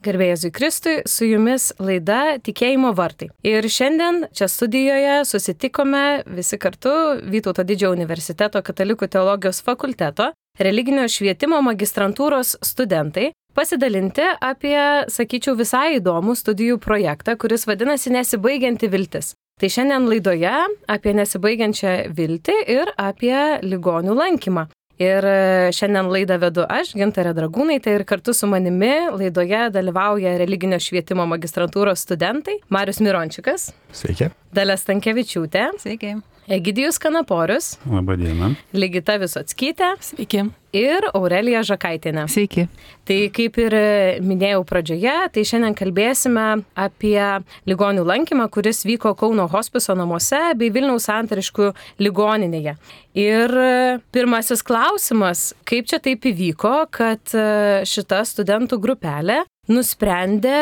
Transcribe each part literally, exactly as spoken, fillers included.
Garbė Jėzui Kristui, su jumis laida Tikėjimo vartai. Ir šiandien čia studijoje susitikome visi kartu Vytauto Didžiojo universiteto Katalikų teologijos fakulteto religinio švietimo magistrantūros studentai pasidalinti apie, sakyčiau, visai įdomų studijų projektą, kuris vadinasi Nesibaigianti viltis. Tai šiandien laidoje apie nesibaigiančią viltį ir apie ligonių lankymą. Ir šiandien laidą vedu aš, Gintarė Dragūnaitė, ir kartu su manimi laidoje dalyvauja religinio švietimo magistrantūros studentai Marius Mirončikas. Sveiki. Dalia Stankevičiūtė. Sveiki. Egidijus Kanaporius. Labą dieną. Ligita Visockytė. Sveiki. Ir Aurelija Žakaitienė. Sveiki. Tai kaip ir minėjau pradžioje, tai šiandien kalbėsime apie ligonių lankymą, kuris vyko Kauno hospiso namuose bei Vilniaus Santariškių ligoninėje. Ir pirmasis klausimas, kaip čia taip įvyko, kad šita studentų grupelė nusprendė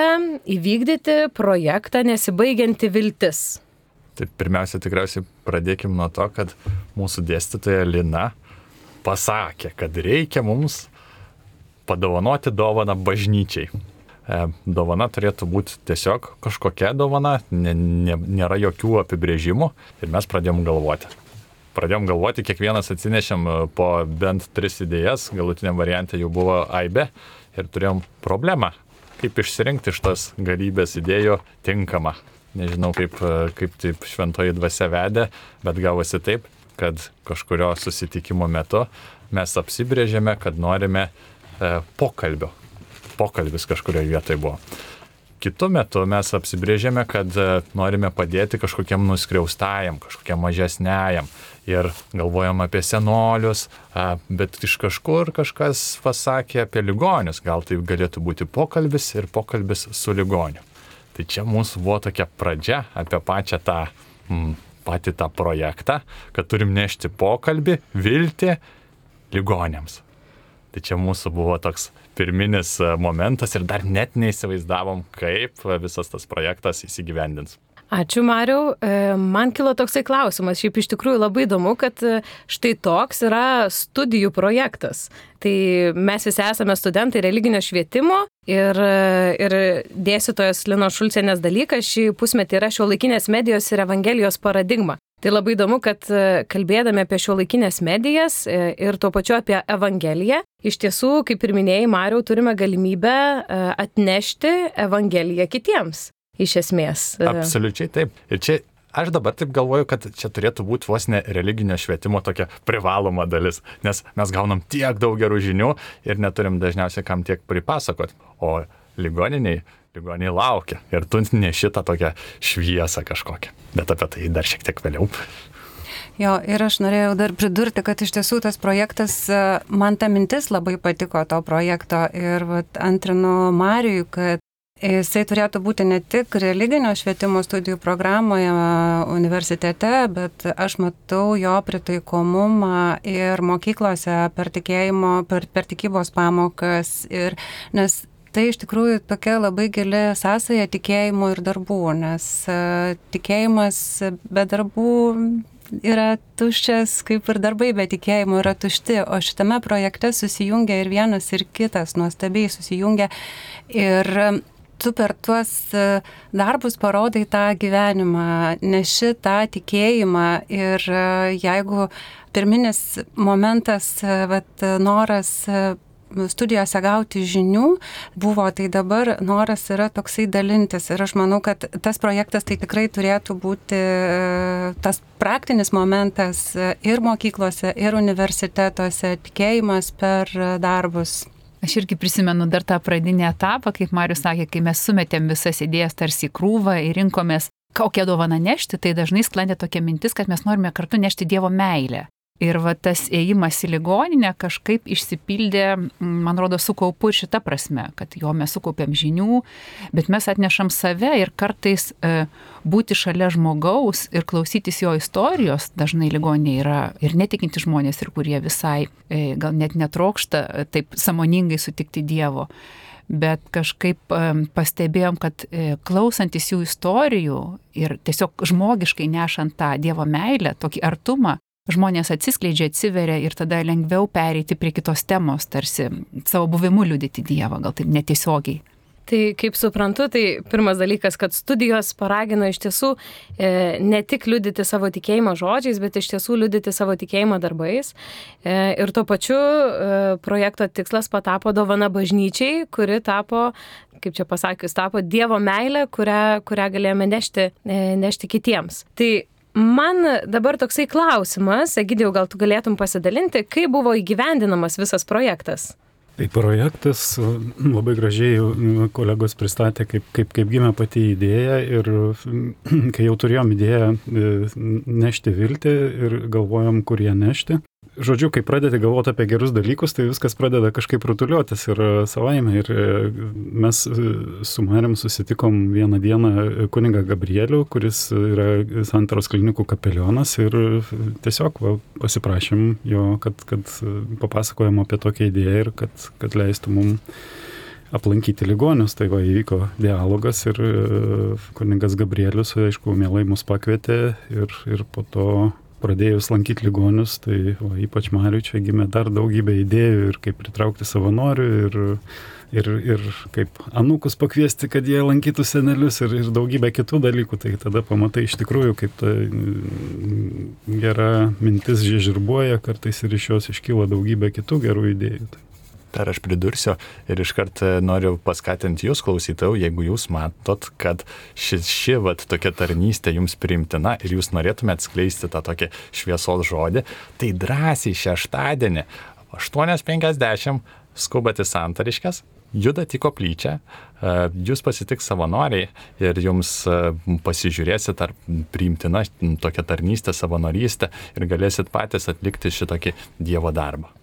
įvykdyti projektą Nesibaigianti viltis. Tai pirmiausia, tikriausiai pradėkim nuo to, kad mūsų dėstytoja Lina pasakė, kad reikia mums padovanoti dovaną bažnyčiai. E, dovana turėtų būti tiesiog kažkokia dovana, ne, ne, nėra jokių apibrėžimų ir mes pradėjom galvoti. Pradėjom galvoti, kiekvienas atsinešėm po bent tris idėjas, galutiniam variante jau buvo aibė ir turėjom problemą, kaip išsirinkti iš tos galybės idėjų tinkamą. Nežinau, kaip, kaip taip šventoji dvasia vedė, bet gavosi taip, kad kažkurio susitikimo metu mes apsibrėžėme, kad norime e, pokalbio. Pokalbis kažkurioje vietoje buvo. Kitu metu mes apsibrėžėme, kad e, norime padėti kažkokiam nuskriaustajam, kažkokiam mažesniajam. Ir galvojam apie senolius, e, bet iš kažkur kažkas pasakė apie ligonius. Gal tai galėtų būti pokalbis ir pokalbis su ligoniu. Tai čia mūsų buvo tokia pradžia apie pačią tą, m, patį tą projektą, kad turim nešti pokalbį, viltį ligoniams. Tai čia mūsų buvo toks pirminis momentas ir dar net neįsivaizdavom, kaip visas tas projektas įsigyvendins. Ačiū, Mariau. Man kilo toksai klausimas. Šiaip iš tikrųjų labai įdomu, kad štai toks yra studijų projektas. Tai mes visi esame studentai religinio švietimo ir, ir dėstytojos Linos Šulcienės dalykas šį pusmetį yra šiuolaikinės medijos ir evangelijos paradigma. Tai labai įdomu, kad kalbėdami apie šiuolaikinės medijas ir tuo pačiu apie evangeliją, iš tiesų, kaip ir minėjai, Mariau, turime galimybę atnešti evangeliją kitiems. Iš esmės. Absoliučiai taip. Ir čia aš dabar taip galvoju, kad čia turėtų būti vos ne religinio švietimo tokia privaloma dalis, nes mes gaunam tiek daug gerų žinių ir neturim dažniausiai kam tiek pripasakot. O ligoniniai, ligoniniai laukia ir tu neši tą tokią šviesą kažkokią. Bet apie tai dar šiek tiek vėliau. Jo, ir aš norėjau dar pridurti, kad iš tiesų tas projektas, man ta mintis labai patiko to projekto ir vat, antrinu Marijui, kad jisai turėtų būti ne tik religinio švietimo studijų programoje universitete, bet aš matau jo pritaikomumą ir mokyklose per tikėjimo, per, per tikybos pamokas. Ir, nes tai iš tikrųjų tokia labai gili sąsaja tikėjimo ir darbų, nes tikėjimas be darbų yra tuščias, kaip ir darbai be tikėjimo yra tušti, o šitame projekte susijungia ir vienas ir kitas, nuostabiai susijungia. Ir tu per tuos darbus parodai tą gyvenimą, neši tą tikėjimą ir jeigu pirminis momentas, vat, noras studijose gauti žinių buvo, tai dabar noras yra toksai dalintis ir aš manau, kad tas projektas tai tikrai turėtų būti tas praktinis momentas ir mokyklose, ir universitetuose, tikėjimas per darbus. Aš irgi prisimenu dar tą pradinį etapą, kaip Marius sakė, kai mes sumetėm visas idėjas tarsi krūvą ir rinkomės, kokią dovaną nešti, tai dažnai sklandė tokia mintis, kad mes norime kartu nešti Dievo meilę. Ir va tas ėjimas į ligoninę kažkaip išsipildė, man rodo, su kaupu ir šita prasme, kad jo mes sukaupėm žinių, bet mes atnešam save ir kartais e, būti šalia žmogaus ir klausytis jo istorijos, dažnai ligoninė yra ir netikinti žmonės, ir kurie visai e, gal net netrokšta taip sąmoningai sutikti Dievo. Bet kažkaip e, pastebėjom, kad e, klausantis jų istorijų ir tiesiog žmogiškai nešant tą Dievo meilę, tokį artumą, žmonės atsiskleidžia, atsiveria ir tada lengviau pereiti prie kitos temos, tarsi savo buvimu liudyti Dievą, gal taip netiesiogiai. Tai kaip suprantu, tai pirmas dalykas, kad studijos paragino iš tiesų e, ne tik liudyti savo tikėjimą žodžiais, bet iš tiesų liudyti savo tikėjimą darbais. E, ir tuo pačiu e, projekto tikslas patapo dovana bažnyčiai, kuri tapo, kaip čia pasakius, tapo Dievo meilė, kurią, kurią galėjome nešti, e, nešti kitiems. Tai man dabar toksai klausimas, Egidijau, gal tu galėtum pasidalinti, kaip buvo įgyvendinamas visas projektas? Tai projektas labai gražiai kolegos pristatė, kaip, kaip, kaip gimė pati idėja ir kai jau turėjom idėją nešti viltį ir galvojom, kur ją nešti. Žodžiu, kai pradedi galvoti apie gerus dalykus, tai viskas pradeda kažkaip rutuliotis ir savaime. Ir mes su Marium susitikom vieną dieną kunigą Gabrielių, kuris yra Santaros klinikų kapelionas ir tiesiog va, pasiprašėm jo, kad, kad papasakojom apie tokią idėją ir kad, kad leistų mums aplankyti ligonius. Tai va, įvyko dialogas ir kunigas Gabrielius, aišku, mielai mus pakvietė ir, ir po to pradėjus lankyti ligonius, tai o, ypač Mariui čia gimė dar daugybė idėjų ir kaip pritraukti savanorių ir, ir, ir kaip anūkus pakviesti, kad jie lankytų senelius ir, ir daugybė kitų dalykų. Tai tada pamatai iš tikrųjų, kaip ta gera mintis žiežirbuoja, kartais ir iš jos iškyla daugybė kitų gerų idėjų. Dar aš pridursiu ir iškart noriu paskatinti jūs, klausytojų, jeigu jūs matot, kad ši, ši vat, tokia tarnystė jums priimtina ir jūs norėtumėte skleisti tą tokį šviesos žodį, tai drąsiai šeštadienį aštuonios penkiasdešimt skubat į Santariškes, judat į koplyčią, jūs pasitiks savanoriai ir jums pasižiūrėsit, ar priimtina tokia tarnystė, savanorystė ir galėsit patys atlikti šitokį Dievo darbą.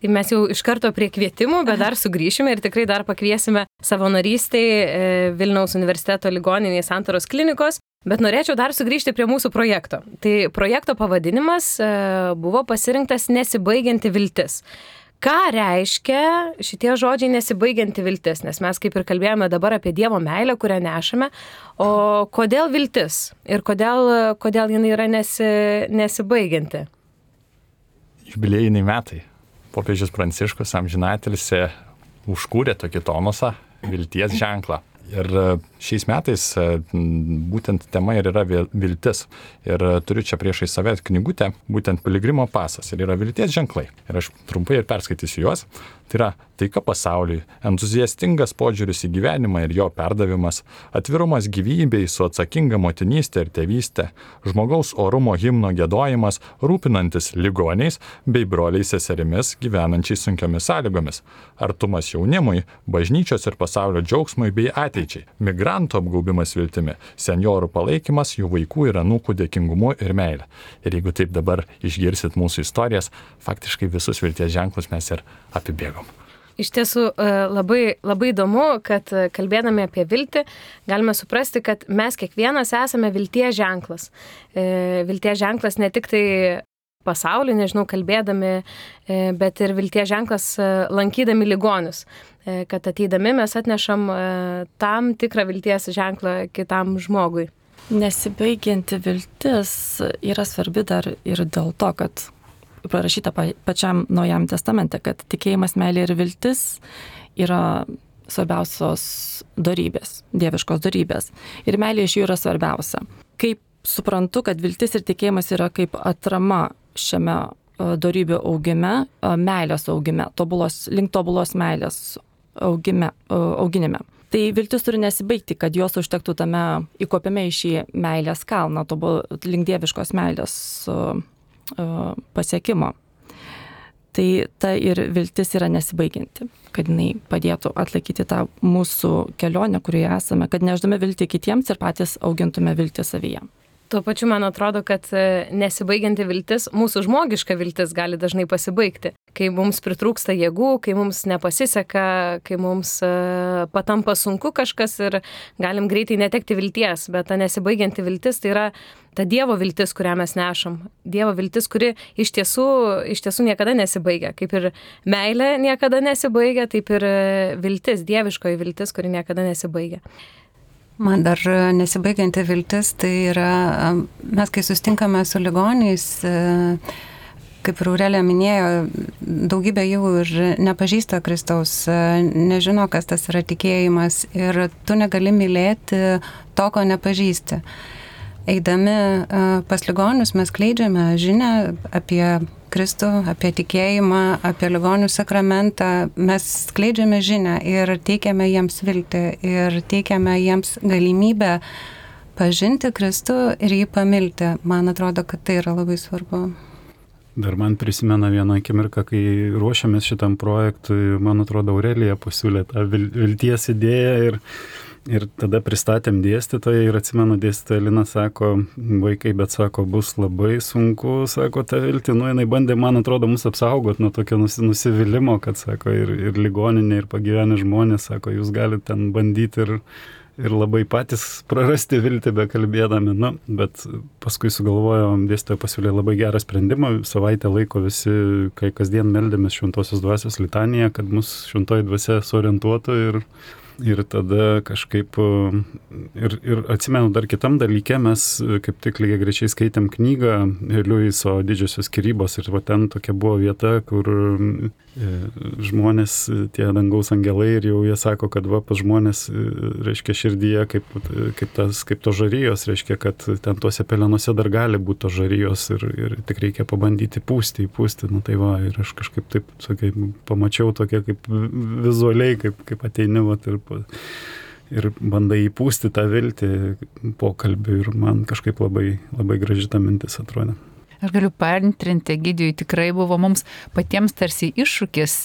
Tai mes jau iš karto prie kvietimų, bet dar sugrįšime ir tikrai dar pakviesime savanorystei Vilniaus universiteto ligoninėje Santaros klinikos, bet norėčiau dar sugrįžti prie mūsų projekto. Tai projekto pavadinimas buvo pasirinktas Nesibaigianti viltis. Ką reiškia šitie žodžiai nesibaigianti viltis? Nes mes kaip ir kalbėjome dabar apie Dievo meilę, kurią nešame, o kodėl viltis ir kodėl, kodėl jinai yra nesi, nesibaigianti? Jubiliejiniai metai. Popiežius Pranciškus amžinatilsį užkūrė tokį tonusą, vilties ženklą. Ir šiais metais būtent tema ir yra viltis. Ir turiu čia priešai save knygutę, būtent Piligrimo pasas. Ir yra vilties ženklai. Ir aš trumpai ir perskaitysiu juos. Tai yra taika pasauliui, entuziastingas požiūris į gyvenimą ir jo perdavimas, atvirumas gyvybei su atsakinga motinystė ir tėvystė, žmogaus orumo himno giedojimas, rūpinantis ligoniais bei broliais seserimis gyvenančiais sunkiomis sąlygomis, artumas jaunimui, bažnyčios ir pasaulio džiaugsmui bei ateičiai, migrantų apgaubimas viltimi, senjorų palaikymas, jų vaikų ir anūkų dėkingumu ir meilė. Ir jeigu taip dabar išgirsit mūsų istorijas, faktiškai visus vilties ženklus mes ir apibėgom. Iš tiesų labai, labai įdomu, kad kalbėdami apie viltį galime suprasti, kad mes kiekvienas esame vilties ženklas. Vilties ženklas ne tik tai pasaulį, nežinau, kalbėdami, bet ir vilties ženklas lankydami ligonius. Kad ateidami mes atnešam tam tikrą vilties ženklą kitam žmogui. Nesibaigianti viltis yra svarbi dar ir dėl to, kad parašyta pačiam Naujam testamente, kad tikėjimas, meilė ir viltis yra svarbiausios dorybės, dieviškos dorybės. Ir meilė iš jų yra svarbiausia. Kaip suprantu, kad viltis ir tikėjimas yra kaip atrama šiame dorybių augime, meilės augime, tobulos, link tobulos meilės augime, auginime. Tai viltis turi nesibaigti, kad jos užtektų tame įkopime į šį meilės kalną, tobul, link dieviškos meilės pasiekimo. Tai ta ir viltis yra nesibaigianti, kad jinai padėtų atlaikyti tą mūsų kelionę, kurioje esame, kad nešdami viltį kitiems ir patys augintume viltį savyje. Tuo pačiu man atrodo, kad nesibaigianti viltis, mūsų žmogiška viltis gali dažnai pasibaigti. Kai mums pritrūksta jėgų, kai mums nepasiseka, kai mums patampa sunku kažkas ir galim greitai netekti vilties, bet ta nesibaigianti viltis tai yra ta Dievo viltis, kurią mes nešam. Dievo viltis, kuri iš tiesų, iš tiesų niekada nesibaigia. Kaip ir meilė niekada nesibaigia, taip ir viltis, dieviškoji viltis, kuri niekada nesibaigia. Man dar nesibaigianti viltis, tai yra, mes kai sustinkame su ligoniais, kaip ir Aurelija minėjo, daugybė jų ir nepažįsta Kristaus, nežino, kas tas yra tikėjimas ir tu negali mylėti to, ko nepažįsti. Eidami pas ligonius mes skleidžiame žinią apie Kristų, apie tikėjimą, apie ligonių sakramentą. Mes skleidžiame žinią ir teikiame jiems viltį ir teikiame jiems galimybę pažinti Kristų ir jį pamilti. Man atrodo, kad tai yra labai svarbu. Dar man prisimena vieną akimirką, kai ruošiamės šitam projektui, man atrodo, Aurelija pasiūlė tą vilties idėją ir Ir tada pristatėm dėstytoją ir atsimenu, dėstytoja Lina sako, vaikai, bet sako, bus labai sunku, sako, tą viltį, nu, jinai bandė, man atrodo, mus apsaugot nuo tokio nusivylimimo, kad, sako, ir, ir ligoninė, ir pagyvenę žmonės, sako, jūs galite ten bandyti ir, ir labai patys prarasti viltį be kalbėdami, nu, bet paskui sugalvojom, dėstytoja pasiūlė labai gerą sprendimą, savaitę laiko visi, kai kasdien meldėmės šventosios dvasios litaniją, kad mus šventoji dvasia suorientuotų ir Ir tada kažkaip, ir, ir atsimenu dar kitam dalyke, mes kaip tik lygiai greičiai skaitėm knygą Liuiso Didžiosios skyrybos ir va ten tokia buvo vieta, kur žmonės, tie dangaus angelai ir jau jie sako, kad va pas žmonės, reiškia, širdyje kaip, kaip, tas, kaip to žarijos, reiškia, kad ten tuose pelenuose dar gali būti to žarijos ir, ir tik reikia pabandyti pūsti, įpūsti, nu tai va, ir aš kažkaip taip, sakai, pamačiau tokia kaip vizualiai, kaip, kaip ateini, va, ir ir bandai įpūsti tą viltį pokalbį ir man kažkaip labai, labai graži ta mintis atrodė. Aš galiu paantrinti, Egidijui, tikrai buvo mums patiems tarsi iššūkis,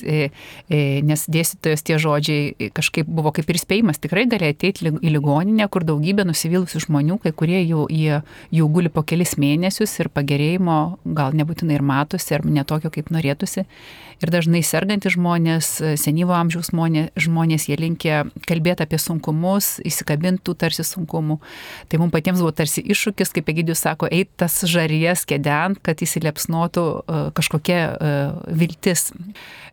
nes dėstytojos tie žodžiai kažkaip buvo kaip ir spėjimas, tikrai gali ateiti į ligoninę, kur daugybė nusivylusių žmonių, kai kurie jau, jie, jau guli po kelis mėnesius ir pagerėjimo gal nebūtinai ir matosi, ar netokio kaip norėtųsi. Ir dažnai sergantys žmonės, senyvo amžiaus žmonės, žmonės, jie linkia kalbėti apie sunkumus, įsikabintų tarsi sunkumų. Tai mums patiems buvo tarsi iššūkis, kaip Egidijus sako, eit tas žarijas kėdent, kad įsilepsnotų uh, kažkokia uh, viltis.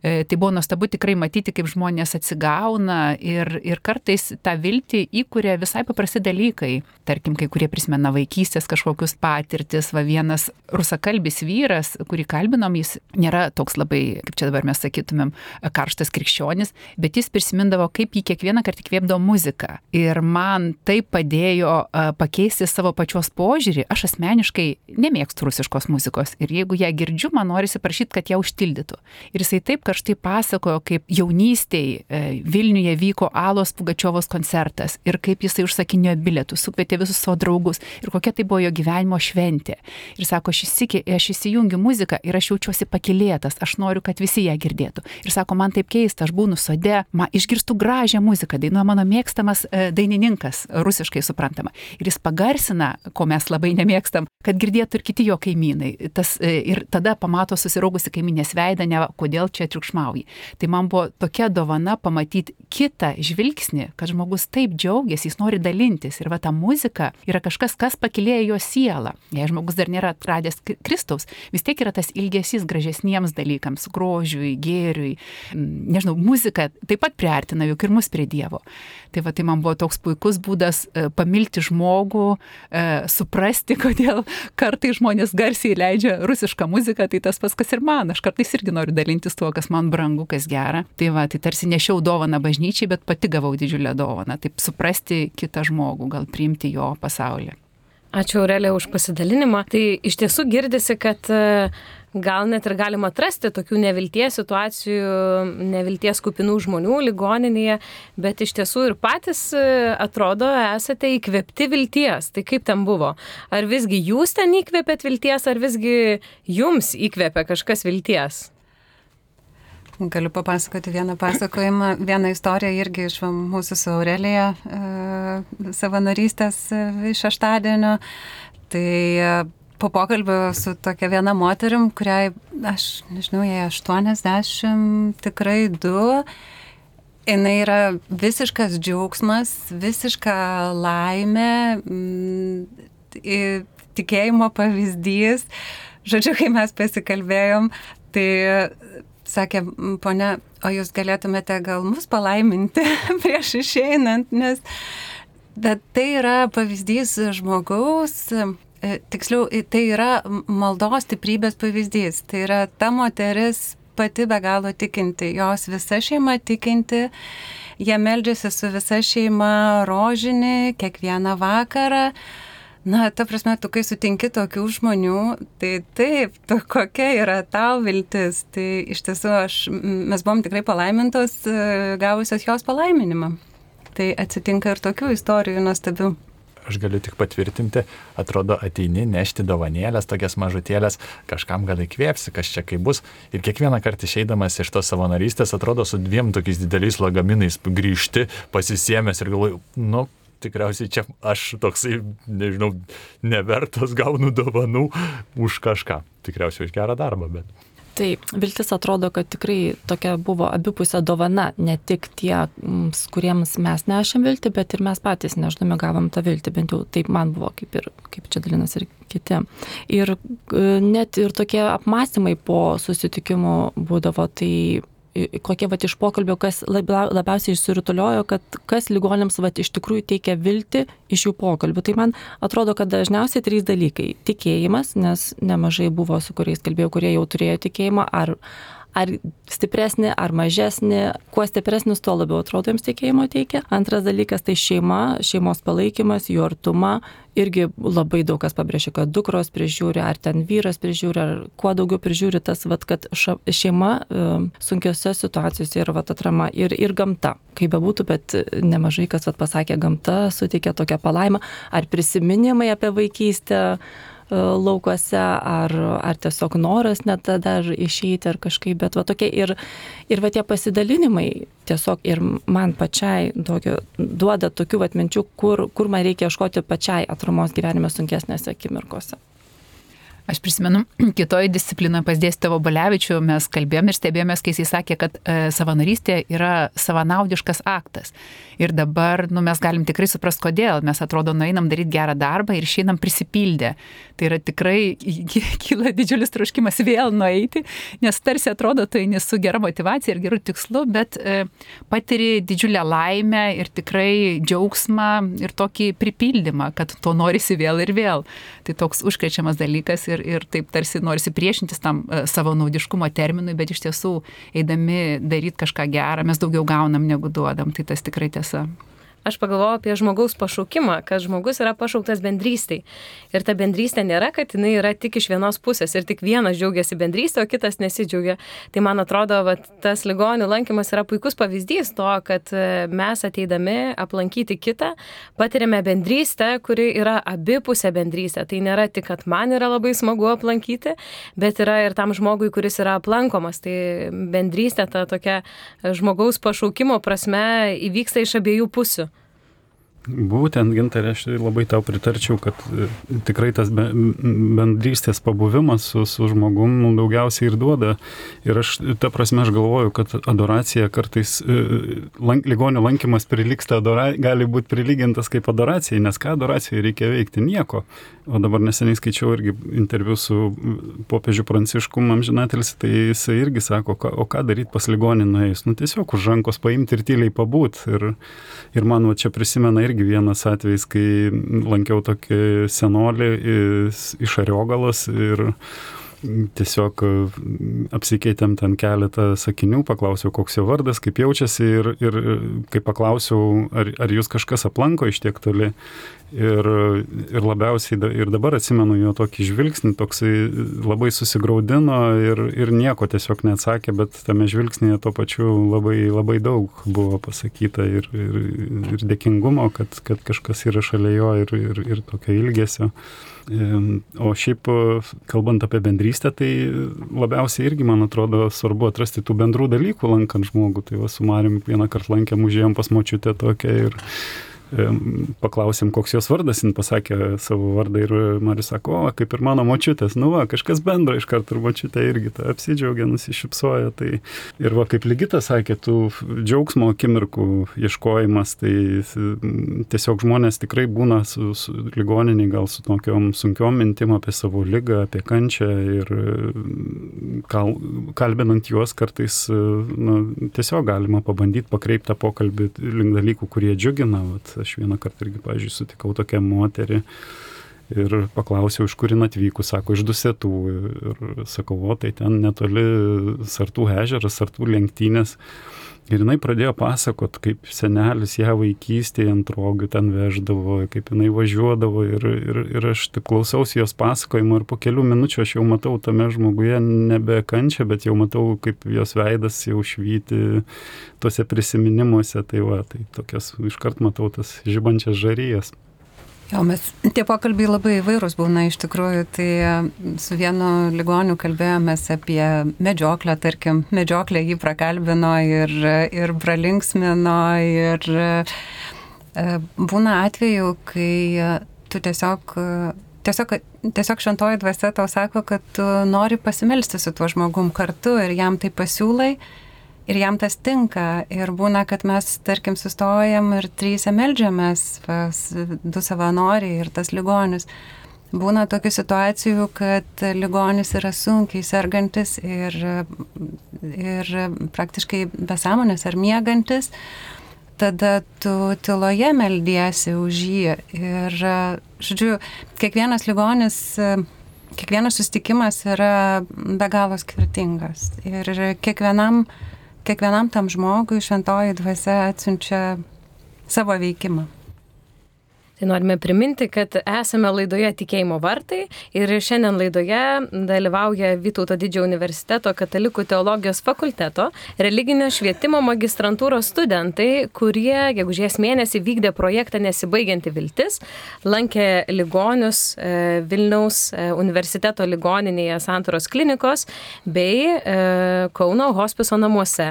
E, tai buvo nuostabu tikrai matyti, kaip žmonės atsigauna ir, ir kartais tą viltį įkuria visai paprasti dalykai. Tarkim, kai kurie prisimena vaikystės kažkokius patirtis, va vienas rusakalbis vyras, kurį kalbinom, jis nėra toks labai, kaip čia dabar mes sakytumėm, karštas krikščionis, bet jis prisimindavo, kaip jį kiekvieną kartą įkvėpdavo muziką. Ir man tai padėjo uh, pakeisti savo pačios požiūrį. Aš asmeniškai nemėgstu rusiškos muzikos ir jeigu ją girdžiu, man norisi prašyti, kad ją užtildytų. Ir jisai taip karštai pasakojo, kaip jaunystėj e, Vilniuje vyko Alos Pugačiovos koncertas ir kaip jisai užsakinėjo bilietus, sukvietė visus savo draugus ir kokia tai buvo jo gyvenimo šventė. Ir sako, aš, įsikė, aš įsijungiu muziką ir aš jaučiuosi pakylėtas, aš noriu, kad visi ją girdėtų. Ir sako, man taip keista, aš būnu sode, man išgirstu gražią muziką, dainuoja mano mėgstamas e, dainininkas, rusiškai suprantama. Ir jis pagarsina, ko mes labai nemėgstam, kad girdėtų ir kiti jo kaimynai. Tas, e, ir tada pamato susiraugusi kaiminės veidą, ne kodėl čia triukšmauji. Tai man buvo tokia dovana pamatyti kitą žvilgsnį, kad žmogus taip džiaugiasi, jis nori dalintis. Ir va ta muzika yra kažkas, kas pakylėja jo sielą. Jei žmogus dar nėra atradęs Kristaus, vis tiek yra tas ilgesys gražesniems dalykams, grožiui, gėriui. Nežinau, muzika taip pat priartina juk ir mus prie Dievo. Tai va tai man buvo toks puikus būdas e, pamilti žmogų, e, suprasti, kodėl kartai žmonės garsiai leidžia rusišką muziką, tai tas pats, kas ir man. Aš kartais irgi noriu dalintis tuo, kas man brangu, kas gera. Tai va, tai tarsi nešiau dovaną bažnyčiai, bet pati gavau didžiulę dovaną. Taip suprasti kitą žmogų, gal priimti jo pasaulį. Ačiū, Aurelija, už pasidalinimą. Tai iš tiesų girdisi, kad gal net ir galima atrasti tokių nevilties situacijų, nevilties kupinų žmonių ligoninėje, bet iš tiesų ir patys atrodo esate įkvėpti vilties. Tai kaip ten buvo? Ar visgi jūs ten įkvėpėt vilties, ar visgi jums įkvėpė kažkas vilties? Galiu papasakoti vieną pasakojimą, vieną istoriją irgi iš mūsų su Aurelija e, savanorystės iš šeštadienio. Tai e, po pokalbio su tokia viena moterim, kuriai, aš nežinau, jai aštuoniasdešimt tikrai du, jinai yra visiškas džiaugsmas, visiška laimė, m, tikėjimo pavyzdys. Žodžiu, kai mes pasikalbėjom, tai sakė, ponia, o jūs galėtumėte gal mus palaiminti prieš išeinant, nes bet tai yra pavyzdys žmogaus tiksliau, tai yra maldos stiprybės pavyzdys. Tai yra ta moteris pati be galo tikinti, jos visa šeima tikinti, jie meldžiasi su visa šeima rožinį kiekvieną vakarą. Na, ta prasme, tu kai sutinki tokių žmonių, tai taip, tu, kokia yra tau viltis. Tai iš tiesų aš, mes buvom tikrai palaimintos, gavusios jos palaiminimą. Tai atsitinka ir tokių istorijų nuostabių. Aš galiu tik patvirtinti, atrodo ateini nešti dovanėlės, tokias mažutėlės, kažkam gal įkvėpsi, kas čia kaip bus. Ir kiekvieną kartą išeidamas iš tos savanorystės, atrodo su dviem tokiais dideliais lagaminais grįžti, pasisėmęs ir galvoju, nu, tikriausiai čia aš toksai, nežinau, nevertas gaunu dovanų už kažką. Tikriausiai už gerą darbą, bet... Taip, viltis atrodo, kad tikrai tokia buvo abipusė dovana, ne tik tie, kuriems mes nešėm viltį, bet ir mes patys nežinome gavom tą viltį, bent jau taip man buvo, kaip ir kaip čia dalinas ir kiti. Ir net ir tokie apmąstymai po susitikimų būdavo, tai kokie vat iš pokalbio, kas labiausiai išsirutuliojo, kad kas ligonėms vat iš tikrųjų teikia viltį iš jų pokalbių. Tai man atrodo, kad dažniausiai trys dalykai. Tikėjimas, nes nemažai buvo, su kuriais kalbėjau, kurie jau turėjo tikėjimą, ar, ar stipresnį, ar mažesnį. Kuo stipresnis, tuo labiau atrodo jiems tikėjimo teikia. Antras dalykas tai šeima, šeimos palaikymas, jų artuma. Irgi labai daug kas pabrėžia, kad dukros prižiūri, ar ten vyras prižiūri, ar kuo daugiau prižiūri tas, vat, kad šeima sunkiose situacijose yra vat, atrama ir, ir gamta. Kaip bebūtų, bet nemažai kas vat, pasakė, gamta suteikia tokią palaimą, ar prisiminimai apie vaikystę laukuose, ar, ar tiesiog noras net dar išeiti ar kažkaip, bet va tokie ir, ir va tie pasidalinimai tiesiog ir man pačiai tokio, duoda tokių va minčių, kur, kur man reikia ieškoti pačiai atramos gyvenime sunkesnėse akimirkose. Aš prisimenu, kitoj disciplinoje pas dėstytoją Balevičių mes kalbėjom ir stebėjomės, kai jisai sakė, kad e, savanorystė yra savanaudiškas aktas. Ir dabar nu, mes galim tikrai suprast, kodėl. Mes atrodo, nueinam daryti gerą darbą ir išeinam prisipildę. Tai yra tikrai kyla didžiulis troškimas vėl nueiti, nes tarsi atrodo, tai nesu gera motivacija ir gerų tikslų, bet e, patiri didžiulę laimę ir tikrai džiaugsmą ir tokį pripildymą, kad to norisi vėl ir vėl. Tai toks užkrečiamas dalykas. Ir, ir taip tarsi norisi priešintis tam uh, savo naudiškumo terminui, bet iš tiesų, eidami daryti kažką gerą, mes daugiau gaunam negu duodam, tai tas tikrai tiesa. Aš pagalvojau apie žmogaus pašaukimą, kad žmogus yra pašauktas bendrystei. Ir ta bendrystė nėra, kad jinai yra tik iš vienos pusės ir tik vienas džiaugiasi bendrystė, o kitas nesidžiaugia. Tai man atrodo, va, tas ligonių lankymas yra puikus pavyzdys to, kad mes ateidami aplankyti kitą, patiriame bendrystę, kuri yra abipusė bendrystė. Tai nėra tik, kad man yra labai smagu aplankyti, bet yra ir tam žmogui, kuris yra aplankomas. Tai bendrystė, ta tokia žmogaus pašaukimo prasme įvyksta iš abiejų pusių. Būtent, Gintarė, aš labai tau pritarčiau, kad tikrai tas bendrystės pabuvimas su, su žmogum nu, daugiausiai ir duoda. Ir aš, ta prasme, aš galvoju, kad adoracija kartais, lank, ligonio lankymas priliksta, adora, gali būti prilygintas kaip adoracijai, nes ką adoracijai reikia veikti? Nieko. O dabar neseniai skaičiau irgi interviu su popiežiu Pranciškum amžinatelis, tai jisai irgi sako, o ką daryti pas ligonį nuėjus? Nu tiesiog už rankos paimti ir tyliai pabūt. Ir, ir man va, čia prisimena irgi vienas atvejis, kai lankiau tokį senolį iš Ariogalos ir tiesiog apsikeitėm ten keletą sakinių, paklausiau, koks jo vardas, kaip jaučiasi ir, ir kai paklausiau, ar, ar jūs kažkas aplanko iš tiek toli. Ir, ir labiausiai ir dabar atsimenu jo tokį žvilgsnį, toksai labai susigraudino ir, ir nieko tiesiog neatsakė, bet tame žvilgsnėje to pačiu labai, labai daug buvo pasakyta ir, ir, ir dėkingumo, kad, kad kažkas yra šalia jo ir, ir, ir tokio ilgesio. O šiaip, kalbant apie bendrystę, tai labiausiai irgi, man atrodo, svarbu atrasti tų bendrų dalykų lankant žmogų. Tai va, su Marium vieną kartą lankėm, užėjom pas močiutę tokią ir paklausėm, koks jos vardas, jin pasakė savo vardą ir Marius sako, o, kaip ir mano močiutės, nu va, kažkas bendro iš karto ir močiutė irgi tą apsidžiaugia, nusišypsoja. Tai ir va, kaip Ligita sakė, tų džiaugsmo akimirkų ieškojimas, tai tiesiog žmonės tikrai būna su, su ligoniniai, gal su tokiom sunkiom mintim apie savo ligą, apie kančią ir kal, kalbinant juos kartais nu, tiesiog galima pabandyti pakreipti tą pokalbį link dalykų, kurie džiugina. Vat, aš vieną kartą irgi, pavyzdžiui, sutikau tokią moterį Ir paklausiau, iš kur jin atvykus, sako, iš Dusetų. Ir sakau, o tai ten netoli Sartų ežeras, Sartų lenktynės. Ir jinai pradėjo pasakot, kaip senelis ją vaikystėje ant rogių ten veždavo, kaip jinai važiuodavo. Ir, ir, ir aš taip klausausi jos pasakojimo ir po kelių minučių aš jau matau tame žmoguje nebe kančią, bet jau matau, kaip jos veidas jau švyti tose prisiminimuose. Tai va, tai tokias iškart matau tas žibančias žarijas. Jo, mes tie pokalbiai labai įvairūs būna iš tikrųjų, tai su vienu ligoniu kalbėjomės apie medžioklę, tarkim, medžioklę jį prakalbino ir, ir pralinksmino ir būna atveju, kai tu tiesiog, tiesiog, tiesiog šventoji dvasia tau sako, kad tu nori pasimelsti su tuo žmogum kartu ir jam tai pasiūlai. Ir jam tas tinka. Ir būna, kad mes, tarkim, sustojam ir trysia meldžiamės pas du savanoriai ir tas ligonis. Būna tokių situacijų, kad ligonis yra sunkiai sergantis ir, ir praktiškai be sąmonės ar miegantis. Tada tu tyloje meldiesi už jį. Ir, žodžiu, kiekvienas ligonis, kiekvienas susitikimas yra be galo skirtingas. Ir kiekvienam Kiekvienam tam žmogui šventoji dvasia atsiunčia savo veikimą. Tai norime priminti, kad esame laidoje Tikėjimo vartai ir šiandien laidoje dalyvauja Vytauto Didžiojo universiteto Katalikų teologijos fakulteto religinio švietimo magistrantūros studentai, kurie gegužės mėnesį vykdė projektą Nesibaigianti viltis, lankė ligonius Vilniaus universiteto ligoninėje Santaros klinikos bei Kauno hospiso namuose.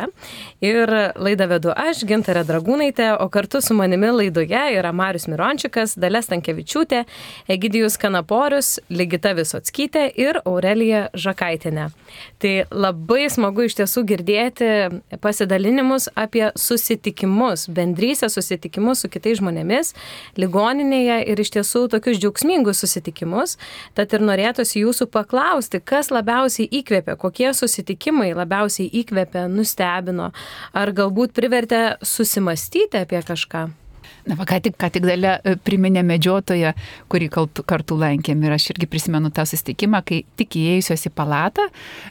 Ir laidą vedu aš, Gintarė Dragūnaitė, o kartu su manimi laidoje yra Marius Mirončikas, Dalia Stankevičiūtė, Egidijus Kanaporius, Ligita Visockytė ir Aurelija Žakaitienė. Tai labai smagu iš tiesų girdėti pasidalinimus apie susitikimus, bendrystę susitikimus su kitais žmonėmis ligoninėje ir iš tiesų tokius džiaugsmingus susitikimus. Tad ir norėtųsi jūsų paklausti, kas labiausiai įkvėpė, kokie susitikimai labiausiai įkvėpė, nustebino, ar galbūt privertė susimastyti apie kažką. Na, va, ką tik, ką tik Dalia priminė medžiotoją, kurį kartu lankėm. Ir aš irgi prisimenu tą susitikimą, kai tik įėjusios į palatą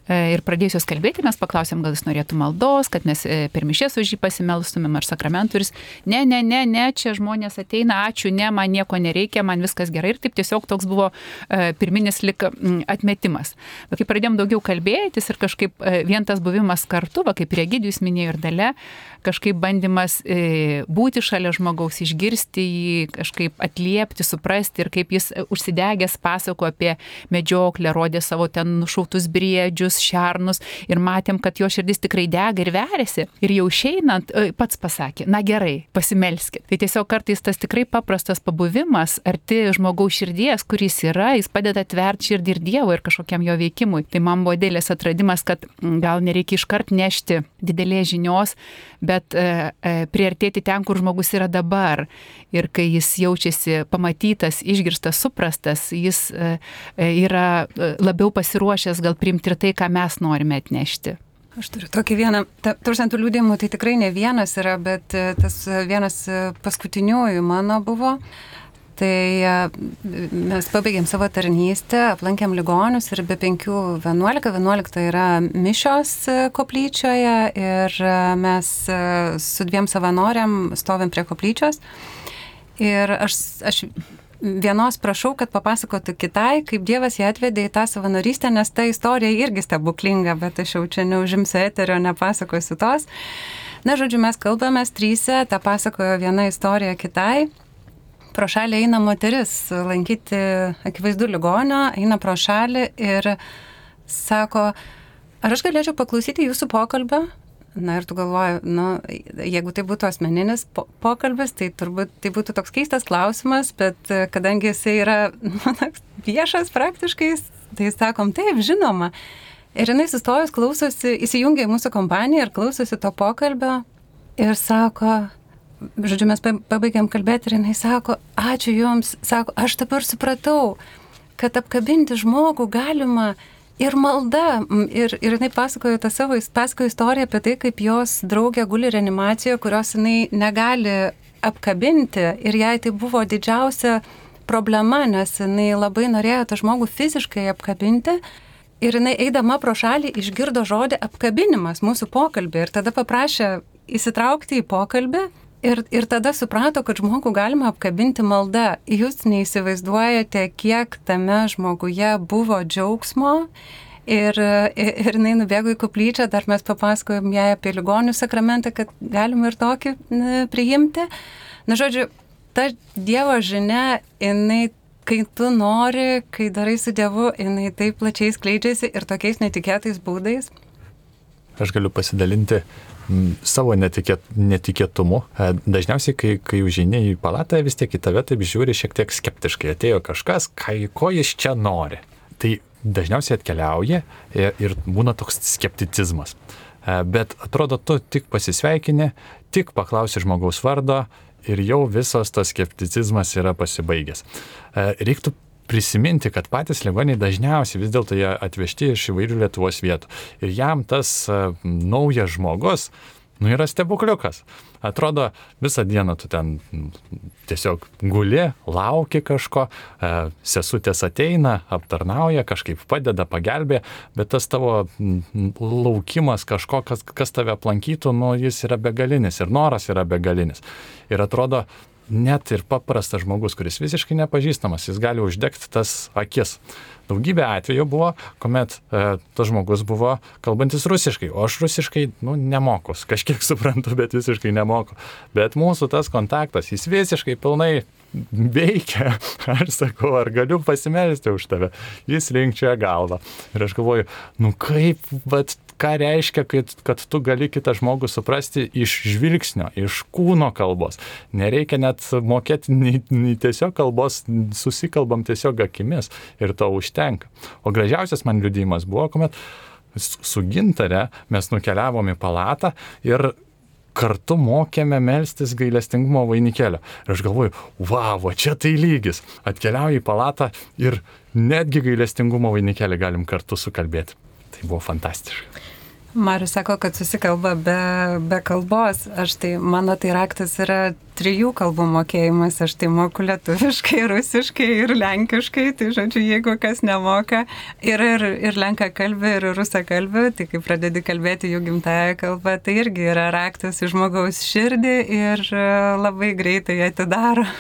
ir pradėjusios kalbėti, mes paklausėm, gal jis norėtų maldos, kad mes per mišias už jį pasimelstumėm ar sakramentų. Ir jis, ne, ne, ne, ne, čia žmonės ateina, ačiū, ne, man nieko nereikia, man viskas gerai. Ir taip tiesiog toks buvo pirminis lik atmetimas. Bet kai pradėjom daugiau kalbėtis ir kažkaip vien tas buvimas kartu, va, kaip ir Egidijus minėjo ir Dalia, kažkaip bandymas būti šalia žmogaus, išgirsti jį, kažkaip atliepti, suprasti ir kaip jis užsidegęs pasako apie medžioklę, rodė savo ten nušautus briedžius, šernus ir matėm, kad jo širdis tikrai dega ir veriasi. Ir jau išeinant pats pasakė, na gerai, pasimelskit. Tai tiesiog kartais tas tikrai paprastas pabuvimas arti žmogaus širdies, kuris yra, jis padeda atverti širdį ir Dievo ir kažkokiam jo veikimui. Tai man buvo didelis atradimas, kad gal nereikia iškart nešti didelės žinios, bet e, e, priartėti ten, kur žmogus yra dabar. Ir kai jis jaučiasi pamatytas, išgirstas, suprastas, jis e, yra labiau pasiruošęs gal priimti ir tai, ką mes norime atnešti. Aš turiu tokį vieną, tūkstantų liudijimų, tai tikrai ne vienas yra, bet tas vienas paskutiniųjų mano buvo. Tai mes pabaigėm savo tarnystę, aplankėm ligonius ir be penkių vienuolika, vienuolikta yra mišios koplyčioje ir mes su dviem savanoriam stovim prie koplyčios ir aš, aš vienos prašau, kad papasakotų kitai, kaip Dievas ją atvedė į tą savanorystę, nes ta istorija irgi stebuklinga, bet aš jau čia neužimsiu eterio, nepasakosiu tos. Na, žodžiu, mes kalbamės tryse, tą pasakojo viena istorija kitai. Pro šalį eina moteris lankyti akivaizdu ligonio, eina pro šalį ir sako, ar aš galėčiau paklausyti jūsų pokalbio? Na ir tu galvoji, nu, jeigu tai būtų asmeninis po- pokalbis, tai turbūt tai būtų toks keistas klausimas, bet kadangi jisai yra nu, viešas praktiškai, tai sakom, taip, žinoma. Ir jinai sustojus klausosi, įsijungia į mūsų kompaniją ir klausosi to pokalbio ir sako, žodžiu, mes pabaigėm kalbėti ir jinai sako, ačiū jums, sako, aš dabar supratau, kad apkabinti žmogų galima ir malda. Ir, ir jinai pasakojo tą savo pasakojo istoriją apie tai, kaip jos draugė guli reanimacijoje, kurios jinai negali apkabinti ir jai tai buvo didžiausia problema, nes jinai labai norėjo tą žmogų fiziškai apkabinti. Ir jinai eidama pro šalį išgirdo žodį apkabinimas mūsų pokalbį ir tada paprašė įsitraukti į pokalbį ir, ir tada suprato, kad žmogų galima apkabinti malda. Jūs neįsivaizduojate, kiek tame žmoguje buvo džiaugsmo ir, ir, ir jinai nubėgo į koplyčią, dar mes papasakojom jai apie ligonių sakramentą, kad galima ir tokį priimti. Na, žodžiu, ta Dievo žinia, jinai kai tu nori, kai darai su Dievu, jinai taip plačiai skleidžiasi ir tokiais netikėtais būdais. Aš galiu pasidalinti m, savo netikėt, netikėtumu. Dažniausiai, kai, kai užeini į palatą, vis tiek į tave taip žiūri šiek tiek skeptiškai. Atėjo kažkas, kai, ko jis čia nori. Tai dažniausiai atkeliauja ir, ir būna toks skepticizmas. Bet atrodo, tu tik pasisveikini, tik paklausi žmogaus vardo, ir jau visas tas skepticizmas yra pasibaigęs. Reiktų prisiminti, kad patys ligoniai dažniausiai vis dėlto jie atvežti iš įvairių Lietuvos vietų. Ir jam tas naujas žmogus, nu, yra stebukliukas. Atrodo, visą dieną tu ten tiesiog guli, lauki kažko, sesutės ateina, aptarnauja, kažkaip padeda, pagelbė, bet tas tavo laukimas kažko, kas, kas tave aplankytų, nu, jis yra begalinis ir noras yra begalinis. Ir atrodo, net ir paprastas žmogus, kuris visiškai nepažįstamas, jis gali uždegti tas akis. Daugybė atvejų buvo, kuomet e, tas žmogus buvo kalbantis rusiškai, o aš rusiškai, nu, nemoku, kažkiek suprantu, bet visiškai nemoku. Bet mūsų tas kontaktas, jis visiškai pilnai veikia. Aš sakau, ar galiu pasimelsti už tave? Jis linkčioja galvą. Ir aš galvoju, nu kaip, bet ką reiškia, kad, kad tu gali kitą žmogų suprasti iš žvilgsnio, iš kūno kalbos. Nereikia net mokėti nei, nei tiesiog kalbos, susikalbam tiesiog akimis ir to užtenka. O gražiausias man liudijimas buvo, kuomet su Gintare mes nukeliavom į palatą ir kartu mokėme melstis gailestingumo vainikėlio. Ir aš galvoju, wow, čia tai lygis. Atkeliauju į palatą ir netgi gailestingumo vainikėlį galim kartu sukalbėti. Tai buvo fantastiška. Marius sako, kad susikalba be, be kalbos. Aš tai, mano tai raktas yra trijų kalbų mokėjimas. Aš tai moku lietuviškai, rusiškai ir lenkiškai. Tai žodžiu, jeigu kas nemoka ir, ir, ir lenka kalbė, ir rusa kalbė, tai kai pradedi kalbėti jų gimtąją kalbą, tai irgi yra raktas į žmogaus širdį ir labai greitai atidaro.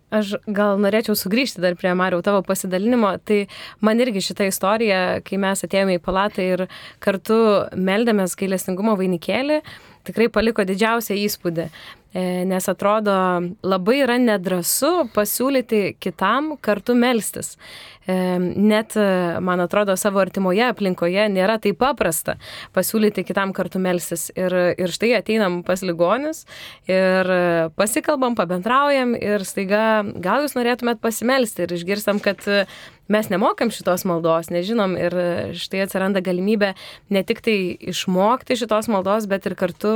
Aš gal norėčiau sugrįžti dar prie Mariau tavo pasidalinimo, tai man irgi šita istorija, kai mes atėjome į palatą ir kartu meldėmės gailestingumo vainikėlį, tikrai paliko didžiausią įspūdį, nes atrodo labai yra nedrąsu pasiūlyti kitam kartu melstis. Net, man atrodo, savo artimoje aplinkoje nėra taip paprasta pasiūlyti kitam kartu melstis. Ir, ir štai ateinam pas ligonius ir pasikalbam, pabendraujam ir staiga gal jūs norėtumėt pasimelsti ir išgirstam, kad mes nemokam šitos maldos, nežinom ir štai atsiranda galimybė ne tik tai išmokti šitos maldos, bet ir kartu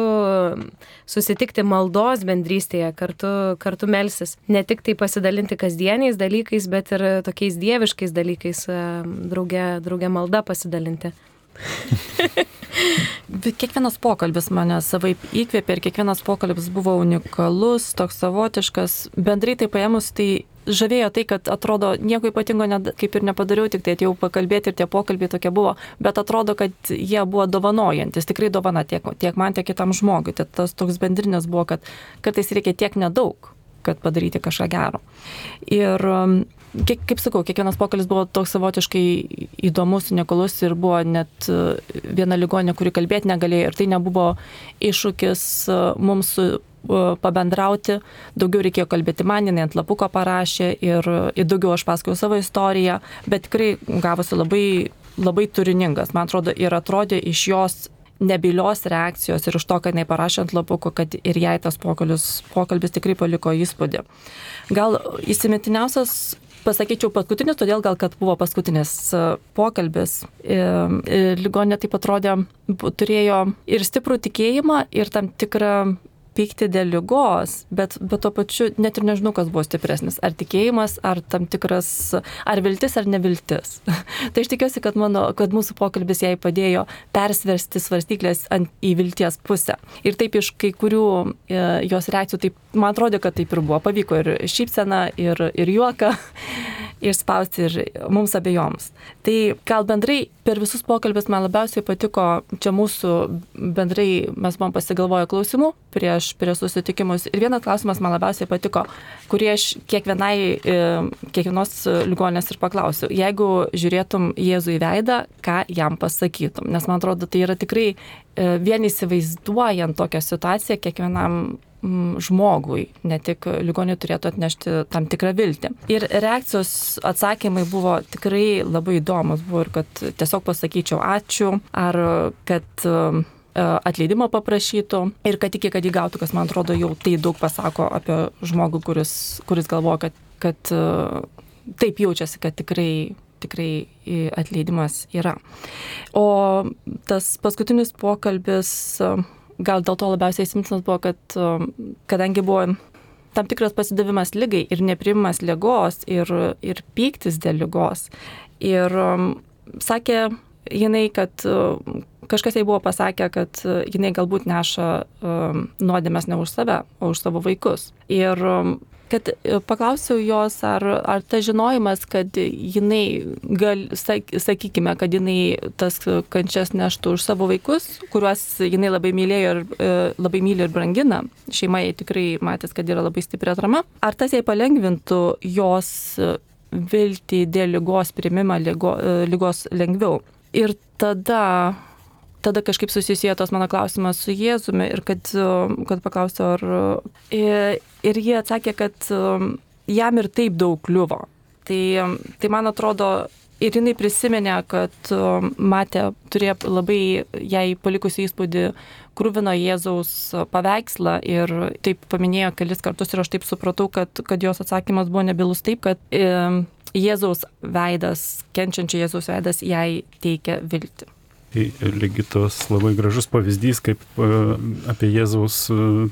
susitikti maldos bendrystėje, kartu, kartu melstis. Ne tik tai pasidalinti kasdieniais dalykais, bet ir tokiais dieviškais dalykais, drauge, drauge malda pasidalinti. Kiekvienas pokalbis mane savaip įkvėpė ir kiekvienas pokalbis buvo unikalus, toks savotiškas. Bendrai tai paėmus, tai žavėjo tai, kad atrodo nieko ypatingo ne, kaip ir nepadariau, tik tai atėjau pakalbėti ir tie pokalbiai tokie buvo, bet atrodo, kad jie buvo dovanojantis, tikrai dovana tiek, tiek man, tiek kitam žmogui. Tai tas toks bendrinis buvo, kad kartais reikia tiek nedaug, kad padaryti kažką gero. Ir Kiek, kaip sakau, kiekvienas pokalbis buvo toks savotiškai įdomus, unikalus ir buvo net viena ligonė, kuri kalbėti negalėjo ir tai nebuvo iššūkis mums pabendrauti, daugiau reikėjo kalbėti man, jinai ant lapuko parašė ir, ir daugiau aš pasakojau savo istoriją, bet tikrai gavosi labai, labai turiningas, man atrodo, ir atrodė iš jos nebylios reakcijos ir už to, kad jinai parašė ant lapuko, kad ir jai tas pokalbis, pokalbis tikrai paliko įspūdį. Gal įsimintiniausias, pasakyčiau, paskutinis, todėl gal, kad buvo paskutinis pokalbis. Ligonė taip atrodė, turėjo ir stiprų tikėjimą, ir tam tikrą pykti dėl ligos, bet, bet tuo pačiu net ir nežinau, kas buvo stipresnis. Ar tikėjimas, ar tam tikras, ar viltis, ar neviltis. Tai aš tikiuosi, kad, mano, kad mūsų pokalbis jai padėjo persversti svarstyklės ant, į vilties pusę. Ir taip iš kai kurių e, jos reakcijų, taip, man atrodo, kad taip ir buvo. Pavyko ir šypseną, ir, ir juoką išspausti ir mums abiejoms. Tai gal bendrai per visus pokalbis man labiausiai patiko, čia mūsų bendrai mes buvom pasigalvoję klausimų prieš, prieš susitikimus. Ir vienas klausimas man labiausiai patiko, kurį aš kiekvienai, kiekvienos ligonės ir paklausiu. Jeigu žiūrėtum Jėzų į veidą, ką jam pasakytum? Nes man atrodo, tai yra tikrai vien įsivaizduojant tokią situaciją kiekvienam žmogui, ne tik ligoniui turėtų atnešti tam tikrą viltį. Ir reakcijos atsakymai buvo tikrai labai įdomus. Buvo ir kad tiesiog pasakyčiau ačiū, ar kad atleidimo paprašytų ir kad iki, kad įgautų, kas man atrodo jau tai daug pasako apie žmogų, kuris, kuris galvoja, kad, kad taip jaučiasi, kad tikrai tikrai atleidimas yra. O tas paskutinis pokalbis gal dėl to labiausiai įsimintinas buvo, kad kadangi buvo tam tikras pasidavimas ligai ir nepriimamas ligos ir, ir pyktis dėl ligos. Ir um, sakė jinai, kad uh, kažkas jai buvo pasakę, kad uh, jinai galbūt neša um, nuodėmes ne už save, o už savo vaikus. Ir um, kad paklausiau jos, ar, ar tas žinojimas, kad jinai, gal, sakykime, kad jinai tas kančias neštų už savo vaikus, kuriuos jinai labai mylėjo ir labai myli ir brangina, šeima jai tikrai matęs, kad yra labai stipri atrama, ar tas jai palengvintų jos viltį dėl ligos priėmimą ligo, ligos lengviau. Ir tada... Tada kažkaip susisiejo tos mano klausimas su Jėzumi ir kad, kad paklausiau, ar... Ir, ir jie atsakė, kad jam ir taip daug kliuvo. Tai, tai man atrodo, ir jinai prisiminė, kad matė, turėjo labai jai palikusi įspūdį kruvino Jėzaus paveikslą ir taip paminėjo kelis kartus ir aš taip supratau, kad, kad jos atsakymas buvo nebylus taip, kad Jėzaus veidas, kenčiančio Jėzaus veidas jai teikia viltį. Ligitos labai gražus pavyzdys, kaip apie Jėzaus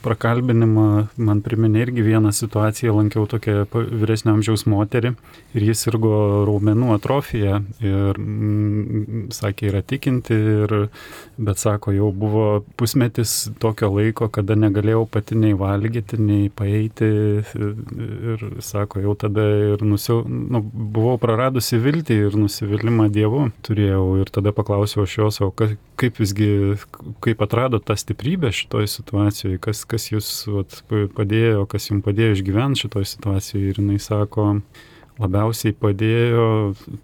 prakalbinimą man priminė irgi vieną situaciją, lankiau tokią vyresnio amžiaus moterį ir jis sirgo raumenų atrofija ir mm, sakė, yra tikinti, ir, bet sako, jau buvo pusmetis tokio laiko, kada negalėjau pati nei valgyti, nei paeiti ir sako, jau tada ir nusiau, nu, buvau praradusi viltį ir nusivylimą Dievu turėjau ir tada paklausiau aš jo, o kaip visgi, kaip atrado tą stiprybę šitoj situacijoje, kas, kas jūs vat, padėjo, kas jums padėjo išgyventi šitoj situacijoje. Ir jinai sako, labiausiai padėjo,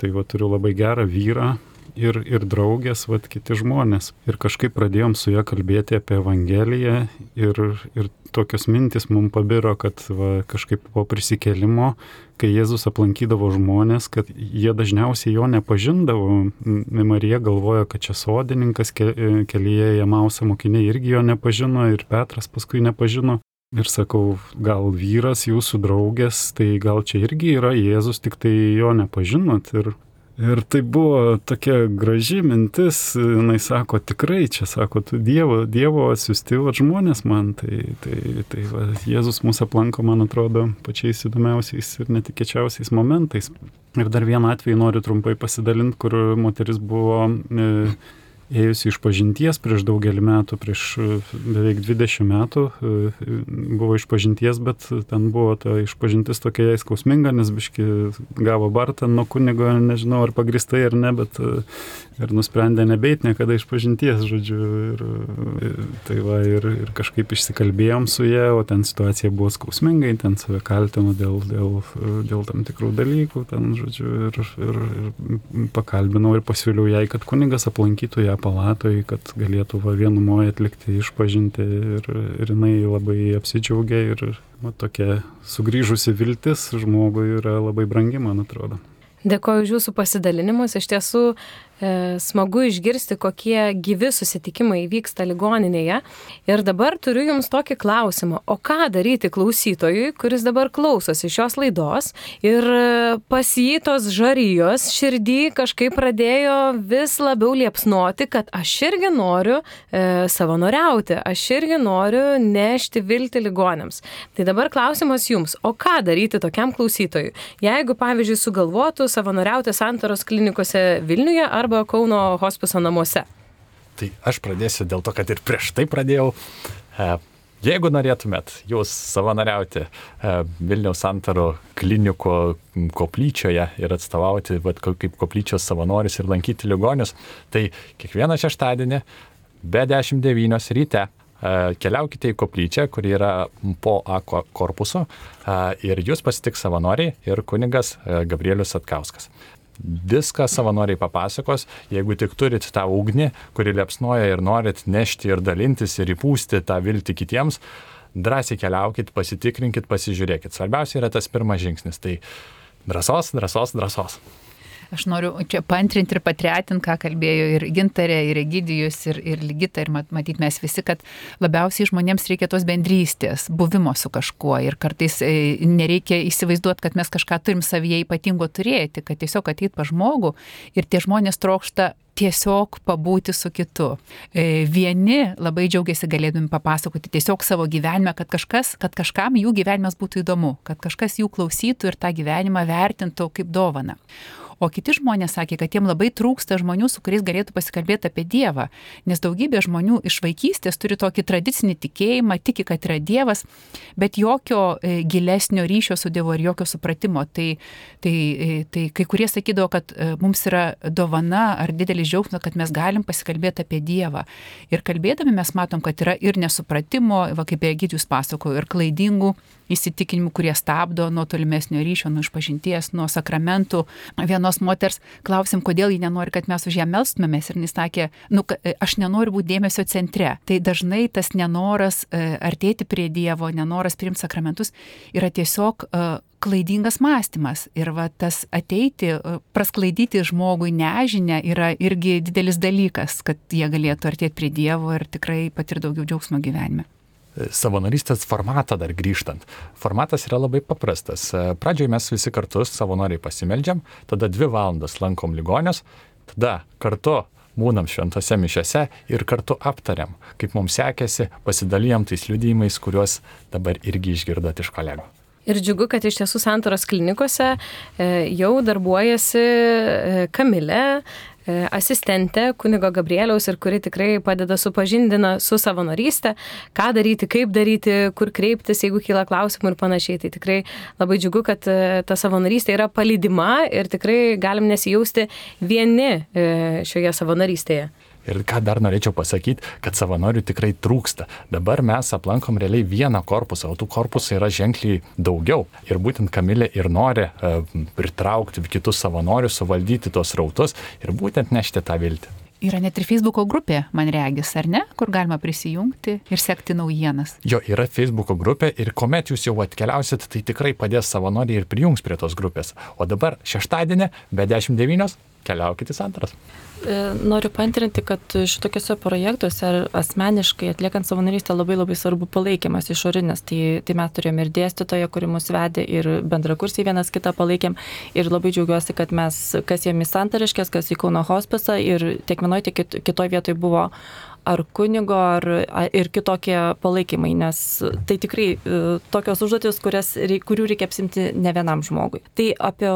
tai va, turiu labai gerą vyrą ir, ir draugės, vat, kiti žmonės. Ir kažkaip pradėjom su ja kalbėti apie Evangeliją ir, ir tokios mintis mums pabiro, kad va, kažkaip po prisikėlimo, kai Jėzus aplankydavo žmonės, kad jie dažniausiai jo nepažindavo. Marija galvojo, kad čia sodininkas, kelyje Emauso mokiniai irgi jo nepažino ir Petras paskui nepažino. Ir sakau, gal vyras jūsų draugės, tai gal čia irgi yra Jėzus, tik tai jo nepažinot. Ir Ir tai buvo tokia graži mintis, jinai sako, tikrai čia, sako, tu Dievo, Dievo atsiųsti va, žmonės man, tai, tai, tai va, Jėzus mūsų aplanko, man atrodo, pačiais įdomiausiais ir netikėčiausiais momentais. Ir dar vieną atvejį noriu trumpai pasidalinti, kur moteris buvo e, ėjusi iš pažinties prieš daugelį metų, prieš beveik dvidešimt metų buvo iš pažinties, bet ten buvo ta išpažintis tokia skausminga, nes biški gavo bartą nuo kunigo, nežinau ar pagristai ar ne, bet ir nusprendė nebeit niekada iš pažinties, žodžiu. Ir, tai va, ir, ir kažkaip išsikalbėjom su ja, o ten situacija buvo skausmingai, ten save kaltino dėl, dėl, dėl tam tikrų dalykų, ten, žodžiu, ir, ir, ir pakalbinau ir pasiūliau jai, kad kunigas aplankytų ją palatoj, kad galėtų va, vienumoje atlikti išpažinti ir, ir jinai labai apsidžiaugė ir va, tokia sugrįžusi viltis žmogui yra labai brangi, man atrodo. Dėkoju už jūsų pasidalinimus. Iš tiesų, E, smagu išgirsti, kokie gyvi susitikimai vyksta ligoninėje. Ir dabar turiu Jums tokį klausimą. O ką daryti klausytojui, kuris dabar klausosi šios laidos ir pas jį tos žarijos širdį kažkaip pradėjo vis labiau liepsnoti, kad aš irgi noriu e, savanoriauti, aš irgi noriu nešti viltį ligoniams. Tai dabar klausimas Jums. O ką daryti tokiam klausytojui? Jeigu, pavyzdžiui, sugalvotų savanoriauti Santaros klinikose Vilniuje arba Kauno hospiso namuose? Tai aš pradėsiu dėl to, kad ir prieš tai pradėjau. Jeigu norėtumėt jūs savanoriauti Vilniaus Santarų klinikų koplyčioje ir atstovauti vat, kaip koplyčios savanoris ir lankyti ligonius, tai kiekvieną šeštadienį be dešimt devynios ryte keliaukite į koplyčią, kuri yra po A korpusu, ir jūs pasitiks savanoriai ir kunigas Gabrielius Satkauskas. Viską savanoriai papasakos, jeigu tik turit tą ugnį, kuri liepsnoja ir norit nešti ir dalintis ir įpūsti tą viltį kitiems, drąsiai keliaukit, pasitikrinkit, pasižiūrėkit. Svarbiausia yra tas pirmas žingsnis, tai drąsos, drąsos, drąsos. Aš noriu čia paantrinti ir patretinti, ką kalbėjo ir Gintarė, ir Egidijus, ir, ir Ligita, ir matyt mes visi, kad labiausiai žmonėms reikia tos bendrystės, buvimo su kažkuo, ir kartais nereikia įsivaizduoti, kad mes kažką turim savyje ypatingo turėti, kad tiesiog ateit pas žmogų ir tie žmonės trokšta tiesiog pabūti su kitu. Vieni labai džiaugiasi galėdami papasakoti tiesiog savo gyvenime, kad, kažkas, kad kažkam jų gyvenimas būtų įdomu, kad kažkas jų klausytų ir tą gyvenimą vertintų kaip dovaną. O kiti žmonės sakė, kad jiem labai trūksta žmonių, su kuriais galėtų pasikalbėti apie Dievą, nes daugybė žmonių iš vaikystės turi tokį tradicinį tikėjimą, tiki, kad yra Dievas, bet jokio gilesnio ryšio su Dievu ir jokio supratimo. Tai, tai, tai kai kurie sakydavo, kad mums yra dovana ar didelis džiaugsmas, kad mes galim pasikalbėti apie Dievą. Ir kalbėdami mes matom, kad yra ir nesupratimo, va, kaip Egidijus pasakojo, ir klaidingų įsitikinimų, kurie stabdo nuo tolimesnio ryšio, nuo išpažinties, nuo sakramentų. Vienos moters klausim, kodėl ji nenori, kad mes už ją melstumėmės, ir jis sakė, nu, aš nenoriu būti dėmesio centre. Tai dažnai tas nenoras artėti prie Dievo, nenoras priimti sakramentus yra tiesiog klaidingas mąstymas. Ir va, tas ateiti, prasklaidyti žmogui nežinę yra irgi didelis dalykas, kad jie galėtų artėti prie Dievo ir tikrai patirti daugiau džiaugsmo gyvenime. Savanorystės formatą dar grįžtant. Formatas yra labai paprastas. Pradžioje mes visi kartu savanoriai pasimeldžiam, tada dvi valandas lankom ligonius, tada kartu būnam šventose mišiose ir kartu aptariam, kaip mums sekėsi, pasidalijam tais liudijimais, kuriuos dabar irgi išgirdot iš kolegų. Ir džiugu, kad iš tiesų Santaros klinikose jau darbuojasi Kamilė, asistentė kunigo Gabrieliaus, ir kuri tikrai padeda supažindina su savanorystė, ką daryti, kaip daryti, kur kreiptis, jeigu kyla klausimų ir panašiai. Tai tikrai labai džiugu, kad ta savanorystė yra palydima ir tikrai galim nesijausti vieni šioje savanorystėje. Ir ką dar norėčiau pasakyti, kad savanorių tikrai trūksta. Dabar mes aplankom realiai vieną korpusą, o tų korpusų yra ženkliai daugiau. Ir būtent Kamilė ir nori uh, pritraukti kitus savanorius, suvaldyti tos rautus ir būtent nešti tą viltį. Yra net ir Facebooko grupė, man regis, ar ne, kur galima prisijungti ir sekti naujienas. Jo, yra Facebooko grupė ir kuomet jūs jau atkeliausit, tai tikrai padės savanoriai ir prijungs prie tos grupės. O dabar šeštadienį be dešimt devynios keliaukite į Santaras. Noriu paantrinti, kad šitokiuose projektuose asmeniškai atliekant savanorystę labai labai svarbu palaikymas išorinis. Tai, tai mes turėjome ir dėstytoją, kuri mus vedė, ir bendrakursiai vienas kitą palaikėm. Ir labai džiaugiuosi, kad mes, kas jiem į Santariškės, kas į Kauno hospisą, ir tiek vienoje, tiek kitoje vietoje buvo ar kunigo, ar, ar ir kitokie palaikymai, nes tai tikrai tokios užduotis, kurias, kurių reikia apsimti ne vienam žmogui. Tai apie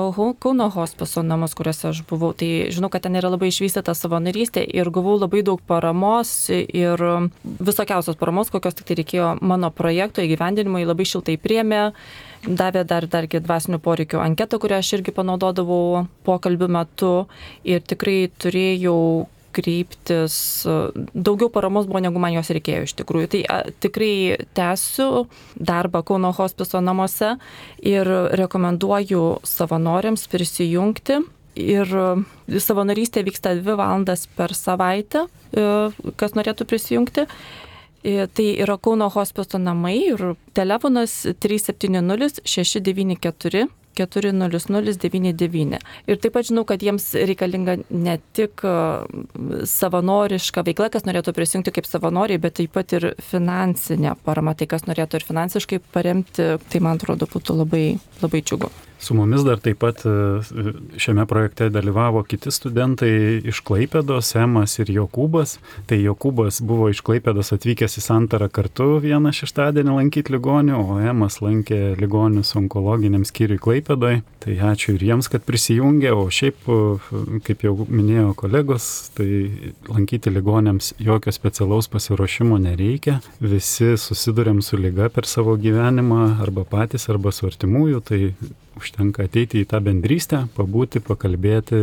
Kauno hospiso namus, kuriuose aš buvau, tai žinau, kad ten yra labai išvystyta savanorystė ir gavau labai daug paramos ir visokiausios paramos, kokios tik tai reikėjo mano projekto įgyvendinimui, labai šiltai priėmė, davė dar, dargi dvasinių poreikių anketą, kurią aš irgi panaudodavau pokalbių metu, ir tikrai turėjau kreiptis, daugiau paramos buvo, negu man jos reikėjo iš tikrųjų. Tai a, tikrai tęsiu darbą Kauno hospiso namuose ir rekomenduoju savanoriams prisijungti. Ir savanorystė vyksta dvi valandas per savaitę, kas norėtų prisijungti. Tai yra Kauno hospiso namai ir telefonas trys septyni nulis šeši devyni keturi keturi nulis nulis devyni devyni. Ir taip pat žinau, kad jiems reikalinga ne tik savanoriška veikla, kas norėtų prisijungti kaip savanoriai, bet taip pat ir finansinė parama, tai kas norėtų ir finansiškai paremti, tai man atrodo būtų labai, labai džiugu. Su mumis dar taip pat šiame projekte dalyvavo kiti studentai iš Klaipėdos, Emas ir Jokūbas. Tai Jokūbas buvo iš Klaipėdos atvykęs į Santarą kartu vieną šeštadienį lankyti ligonių, o Emas lankė ligonius onkologiniam skyriui Klaipėdoje. Tai ačiū ir jiems, kad prisijungė, o šiaip, kaip jau minėjo kolegos, tai lankyti ligoniams jokio specialaus pasiruošimo nereikia. Visi susidurėm su liga per savo gyvenimą, arba patys, arba su artimųjų, tai užtenka ateiti į tą bendrystę, pabūti, pakalbėti,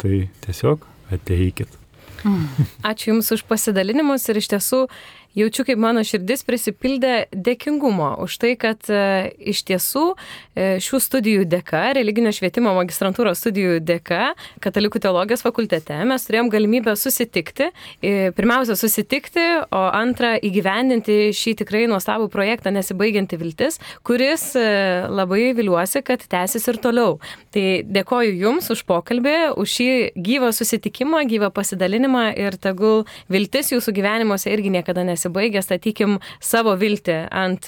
tai tiesiog ateikit. Ačiū Jums už pasidalinimus ir iš tiesų jaučiu, kaip mano širdis prisipildė dėkingumo už tai, kad e, iš tiesų e, šių studijų dėka, religinio švietimo magistrantūros studijų dėka, Katalikų teologijos fakultete mes turėjom galimybę susitikti, e, pirmiausia susitikti, o antra įgyvendinti šį tikrai nuostabų projektą Nesibaigianti viltis, kuris e, labai viliuosi, kad tęsis ir toliau. Tai dėkoju Jums už pokalbį, už šį gyvą susitikimą, gyvą pasidalinimą ir tegul viltis Jūsų gyvenimuose irgi niekada nesibaigia. Baigę, statykim savo viltį ant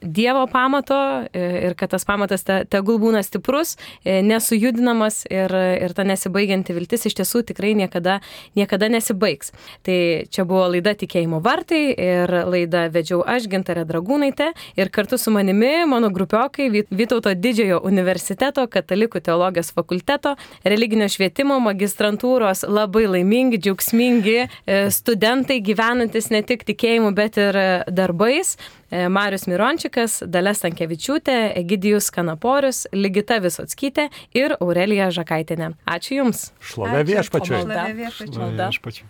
Dievo pamato ir kad tas pamatas te, tegul būna stiprus, nesujudinamas ir, ir ta nesibaigianti viltis iš tiesų tikrai niekada, niekada nesibaigs. Tai čia buvo laida Tikėjimo vartai ir laidą vedžiau aš, Gintarė Dragūnaitė, ir kartu su manimi mano grupiokai Vytauto didžiojo universiteto, Katalikų teologijos fakulteto, religinio švietimo magistrantūros labai laimingi, džiaugsmingi studentai gyvenantis ne tik tikėjimo, bet ir darbais. Marius Mirončikas, Dalia Stankevičiūtė, Egidijus Kanaporius, Ligita Visockytė ir Aurelija Žakaitienė. Ačiū Jums. Šlovė viešpačiui. Šlovė viešpačiui. Šlovė viešpačiui.